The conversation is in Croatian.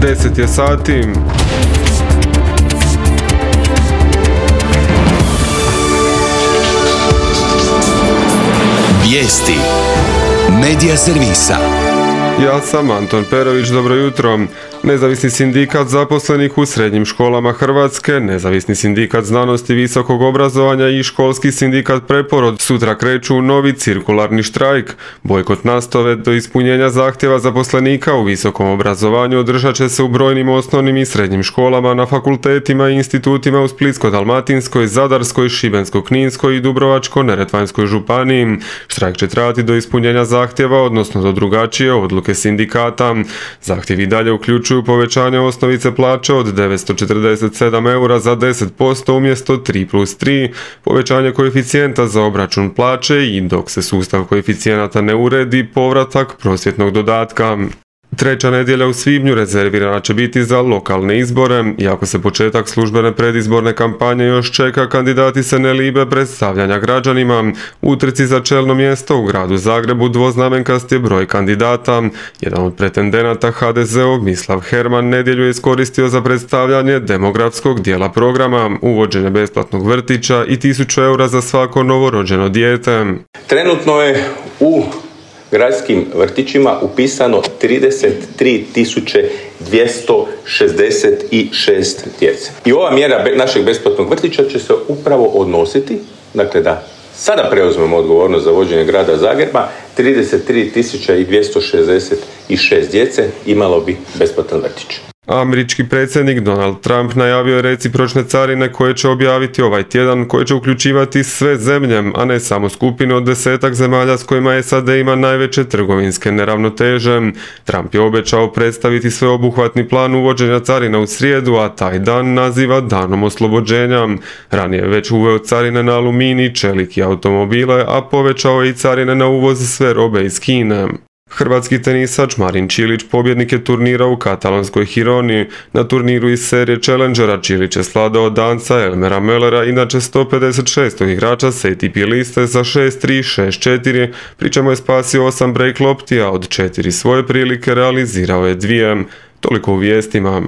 10 je sati. Vijesti Medija servisa. Ja sam Anton Perović, dobro jutro. Nezavisni sindikat zaposlenih u srednjim školama Hrvatske, Nezavisni sindikat znanosti i visokog obrazovanja i školski sindikat Preporod sutra kreću u novi cirkularni štrajk. Bojkot nastave do ispunjenja zahtjeva zaposlenika u visokom obrazovanju održat će se u brojnim osnovnim i srednjim školama, na fakultetima i institutima u Splitsko-dalmatinskoj, Zadarskoj, Šibensko-kninskoj i Dubrovačko-neretvanskoj županiji. Štrajk će trajati do ispunjenja zahtjeva, odnosno do drugačije odluke sindikata. Zahtjevi dalje uključuju povećanje osnovice plaće od 947 eura za 10% umjesto 3+3, povećanje koeficijenta za obračun plaće i, dok se sustav koeficijenata ne uredi, povratak prosvjetnog dodatka. Treća nedjelja u svibnju rezervirana će biti za lokalne izbore. Iako se početak službene predizborne kampanje još čeka, kandidati se ne libe predstavljanja građanima. U utrci za čelno mjesto u gradu Zagrebu dvoznamenkast je broj kandidata. Jedan od pretendenata, HDZ-ov Mislav Herman, nedjelju je iskoristio za predstavljanje demografskog dijela programa, uvođenje besplatnog vrtića i 1000 eura za svako novorođeno dijete. Trenutno je u gradskim vrtićima upisano 33.266 djece. I ova mjera našeg besplatnog vrtića će se upravo odnositi, dakle da sada preuzmemo odgovornost za vođenje grada Zagreba, 33.266 djece imalo bi besplatan vrtić. Američki predsjednik Donald Trump najavio je recipročne carine koje će objaviti ovaj tjedan, koje će uključivati sve zemlje, a ne samo skupinu od 10 zemalja s kojima SAD ima najveće trgovinske neravnoteže. Trump je obećao predstaviti sveobuhvatni plan uvođenja carina u srijedu, a taj dan naziva danom oslobođenja. Ranije je već uveo carine na aluminij, čelik i automobile, a povećao je i carine na uvoz sve robe iz Kine. Hrvatski tenisač Marin Čilić pobjednik je turnira u katalonskoj Gironi. Na turniru iz serije Challengera Čilić je svladao Danca Elmera Möllera, inače 156. igrača s ATP liste za 6-3, 6-4, pri čemu je spasio 8 break lopti, a od 4 svoje prilike realizirao je 2. Toliko u vijestima.